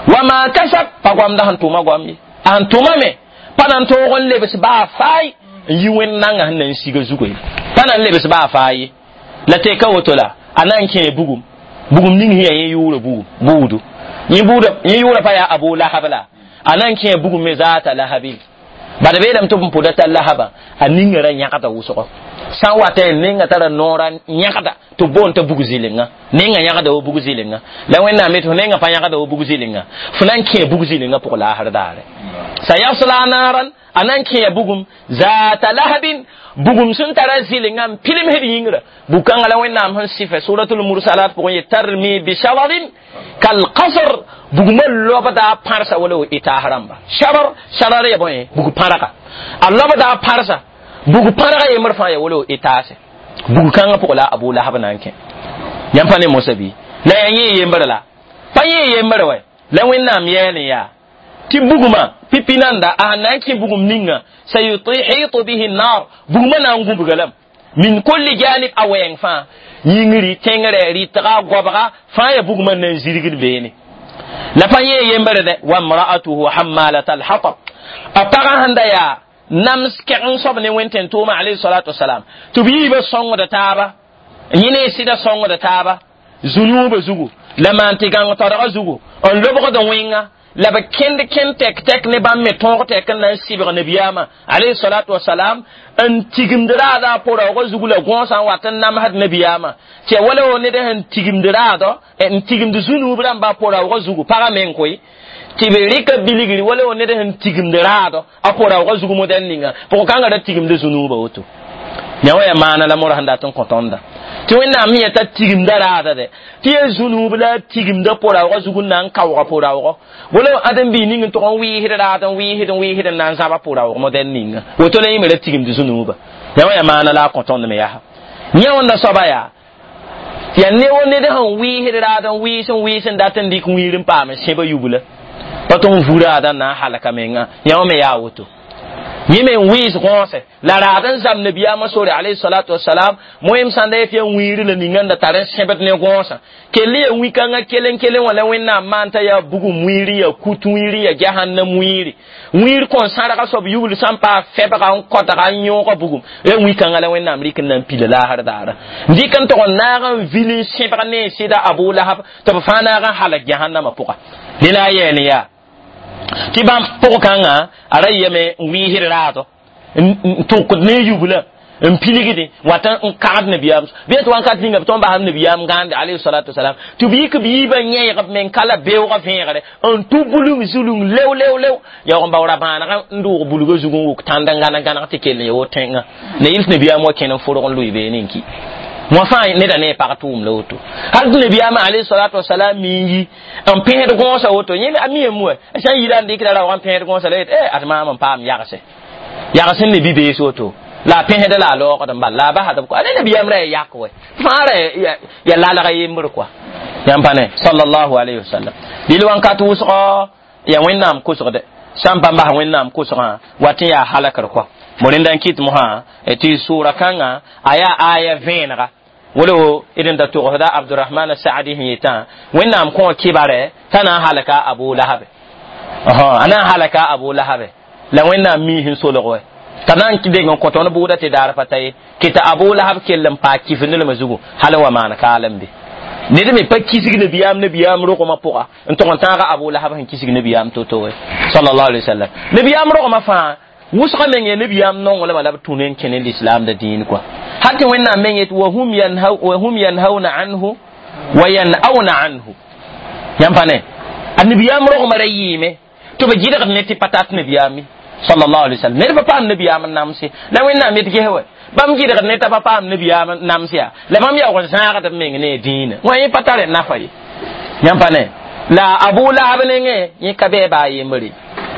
wama kasab pa goamda sẽn tʋma goam ye a sẽn tʋma me pa na n tõog n lebs baa faay n yi wẽnd nangã sẽn na n siga zugu ye pa na n lebs baa faay ye la teka woto la a na n kẽe bugum bugum ning sẽn yaa yẽ yʋʋra bugum buudu yẽ buuda yẽ yʋʋra pa yaa Abu Lahab la a na n kẽe bugum me zaata lahabin bala beelame tɩ b n pʋda t'a lahaba a ninga ra yãgda wʋsgo sã n wata nenga tara noora yãgda tɩ b boond t'a bug zɩlenga nenga yãgda wa bug zɩlenga la Wẽnnaam yetɩ fo nenga pa yãgda wa bug zɩlenga fo na n kẽ bug zɩlenga pʋg laasr daare sayasla naran a na n kẽa bugum zaata lahabin bugum sẽn tara zɩlenga n pilimsd yĩngra bug-kãngã la Wẽnnaam sẽn sɩfɛ suratul mursalat pʋgẽ ye tarmi bishararin kalqasr bugmã lobda pãrsa wala wa itaas rãmba sharar sharar ya bõe bug pãrga a lobda pãrsa bug pãrga yembr fãa ya wala wa itaase bug kãngã pʋgã la Abu Lahab na n kẽ yãmb pa ne mosa bɩ la yaa yẽ yembre la pa yẽ yembre wɛ la Wẽnnaam yɛɛl n yaa tɩ bugmã pipi nanda a sẽn na n kẽ bugum ninga sayuhitu bihi nar bugmã na n gũbga lame min kulli janib a wɛɛng fãa yĩngri tẽngrɛ rɩtga goabga fãa ya bugmã na n zirgd beene la pa yẽ yembre dɛ wamra'atuhu hammalata alhatab a pagã sẽn da yaa nams kɛgeng soab ne wẽn tʋʋma alayhi salatu wasalam tɩ b yiibã sõngda taaba yẽ ne sɩda sõngda taaba zunuubã zugu la maan tɩ gãng todgã zugu n lobgd wẽnga la b kẽnd kẽnd tɛk tɛk ne bãmb me tõog tɛk n na n sɩbg nabiyaamã alayhi salatu wasalam n tigimd raada a pʋraoogã zugu la gõosã n wat n namsd nabiyaamã tɩ ya wala wo ned sẽn tigimd raadɔ n tigimd zũnuub rãmba a pʋraoogã zugu pagã meng koe tɩ b rɩka bilgri wala wo ned sẽn tigimd raadɔ a pʋraoogã zug modɛl ninga pʋg-kãngã ra tigimd zũnuubã woto yã wã yaa maana la mora sẽn dat n kõ tõnda tɩ Wẽnnaam me yeta tigimda raada dɛ tɩ yaa zũnuub la a tigimda pʋraoogã zug n na n kaoog pʋraoogɔ wala ãdem-biig ning n tʋg n wɩɩsd raad n wɩɩsd n wɩɩsd n na n zãba pʋraoog modɛl ninga woto la yẽ me ra tigimd zũnuuba yã wã yaa maana la a kõ tõnd me yaa yẽ wẽnda soaba yaa yaa ne wo ned sẽn wɩɩsd raad n wɩɩs n wɩɩs n dat n dɩk wĩir n paam n sẽba yubla pa tɩ n vu raada n na n halka menga yã wã me yaa woto yẽ me n wɩɩs gõose la raad n zam nabiyaamã sore alayhi salatu wasalam moẽm sãn da yet yaa wĩiri la ninga n da tar n sẽbd ne gõosã kell yaa wĩ-kãngã kelen kelen wã la Wẽnnaam maan t'a yaa bugum wĩiri yaa kut wĩiri yaa jahannam wĩiri wĩir kõn sãrga soab yubl sãn paa fɛbga n kõtga n yõoga bugum yaa wĩ-kãngã la Wẽnnaam rɩk n na n pila laasr daara n dɩk n tʋg n naag n vil n sẽbg ne sɩda Abu Lahab tɩ b fãa naag n halg jahannamã pʋga dẽ la a yɛɛl n yaa tɩ bãmb pʋg-kãngã a ra yame n wɩɩsd raadɔ n tʋkd ne yubla n pilgdẽ wat n kagd nabiyaam bɩ tɩ wãnkat ninga b tõnd basd nabiyaam gãande alayhi salatu wasalam tɩ b yik b yiibã yẽegb me n ka la beoogã vẽegre n tʋ bulung zulung lew lew lew yaoog n bao ra-bãanegã n dʋʋg bulgã zug n wʋk tãnd n gãneg gãneg tɩ kell n ya woto tẽngã la yɩl tɩ nabiyaam wa kẽn n fʋrg n lʋɩ beene n ki wã fãa neda ne pag tʋʋm la woto hal tɩ nabiyaamã alayhi salatu wasalam mi n yi n pẽsd gõosã woto yẽ a mi yem wa sã n yira n dɩkda raoogã n pẽsd gõosã la yet e ad maam n paam yagse yags n ne bi-bees woto la a pẽsda la a loogd n bal la a basd b a ne nabiyaam ra ya yak wɛ fãa ra ya lalga yembr kɔa yãmb pa ne sallallahu alayhi wasallam dɩl wãnkat wʋsgɔ ya Wẽnnaam kʋsgdɛ sã n pa bas Wẽnnaam kʋsgã wat n yaa halakr kɔa mo rẽnda n kɩt mosã tɩ sʋʋra kãngã a yaa aya vẽenega wala wo d n da togsda Abdurahman Saadi sẽn yetã Wẽnnaam kõ kɩbarɛ t'a na n halka Abu Lahabe a na n halaka Abu Lahabe la Wẽnnaam mii sẽn solg wɛ t'a na n deng n kõ tõnd bʋʋda tɩ daar pa ta ye kɩ t'a Abu Lahab kell n paa kifndlmã zugu hal n wa maan kaalem be ned me pa kisg nabiyaam nabiyaam rogmã pʋga n tʋg n tãaga Abu Lahab sẽn kisg nabiyaam to-to wɛ sallallahu alaihi wasallam nabiyaam rogmã fãa wʋsga meng ya nabiyaam nonglmã la b tũ ne n kẽ ne lislaam da dĩin kɔa hal tɩ Wẽnnaam meng yet wahum yanhauna anhu wa yan'auna anhu yãmb pa ne a nabiyaam rogmã ra yɩɩme tɩ b gɩdgd ne tɩ pa tat nabiyaame Sallallahu alaihi wasallam ned pa paam nabiyaam n namse la wẽnnaam d ges wɛ bãmb gɩdgd ne t'a pa paam nabiyaam n nams yaa la bãmb yaoog n zãagd b meng ne dĩinã wã yẽ pa tare nafa ye. Yãmb pa ne la Abu Lahab nengẽ yẽ ka bɩ baa yembre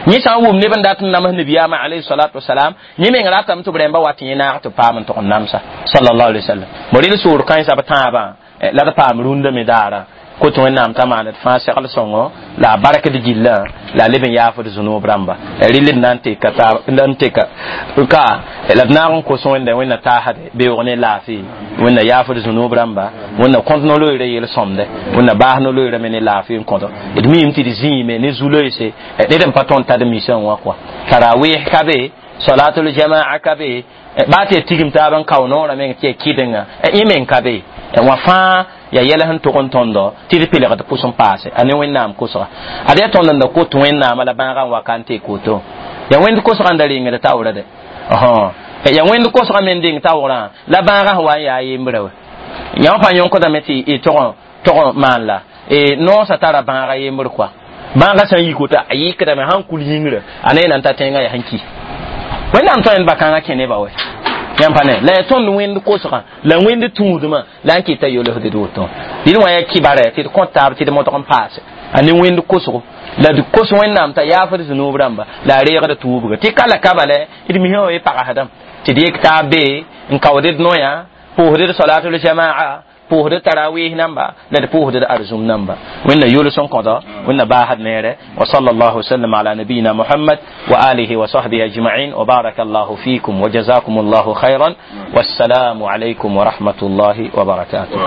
yẽ sã n wʋm neb n dat n nams nabiyaamã alayhi salatu wasalam yẽ meng ratame tɩ b rẽmba wat yẽ naag tɩ paam n tʋg n namsa sallallahu alaihi wasallam. Bo rɩl soor kãensã b tãabã la d paam rũndã me daara kot wẽnnaam t'a maan d fãa segl sõngo la a barkd gillã la a leb n yaafd zũnoob rãmba rɩl d na n teka n teka ka la d naag n kos wẽnda wẽnna taasde beoog ne laafɩ wẽnna yaafd zũnoob rãmba wẽnna kõt no-loeera yel-sõmde wẽnna baas no-loeera me ne laafɩ n kõto d miime tɩ d zĩime ne zu-loeese ned n pa tõnd tad misã wã kɔa tarawih ka be salatul jamaa ka be baa tɩ ya tigim taab n kao noorã meng tɩ ya kɩdenga yẽ meng ka be wã fãa ya yɛl sẽn tʋg n tõndo tɩ d pelgd pʋs n paase a ne wẽnnaam kosga ad yaa tõnd n da kot wẽnnaamã la bãagã n waka n teek woto ya wẽnd kosgã n da rengd taoora de ya wẽnd kosgã me n deng taoorã la bãagã sẽn wa n yaa yembrã we yã wã pã yõkdame tɩ tog tog maan la noosã tara bãagã yembr koa bãagã sã n yik woto a yɩkdame sãn kul yĩngrã a ne na n ta tẽngã yaa sẽn ki wẽnnaam tõe n bakãngã kẽ neba wɛ yãmb pa ne la ya tõnd wẽnd kosgã la wẽnd tũudmã la n kɩta yolsd d woto dɩd wã yaa kibara tɩ d kõt taab tɩ d modg n paase a ne wẽnd kosgo la d kos wẽnnaam t'a yaafd zũnoob rãmba la a reegd tuubga tɩ ka la ka bala d misã wã ye pagsdame tɩ d yek taab be n kaood d noyã pʋʋsd d salatul jamaa pʋʋsd tarawih namba la d pʋʋsd d arzum namba wẽnna yols n kõdo wẽnna baasd neere wa sallallahu wasallam ala nabiyina muhammad wa alihi wa sahbihi ajma'in wa baraka allahu fikum wa jazakum allahu khairan wassalamu alaykum wa rahmatullahi wa barakatuh.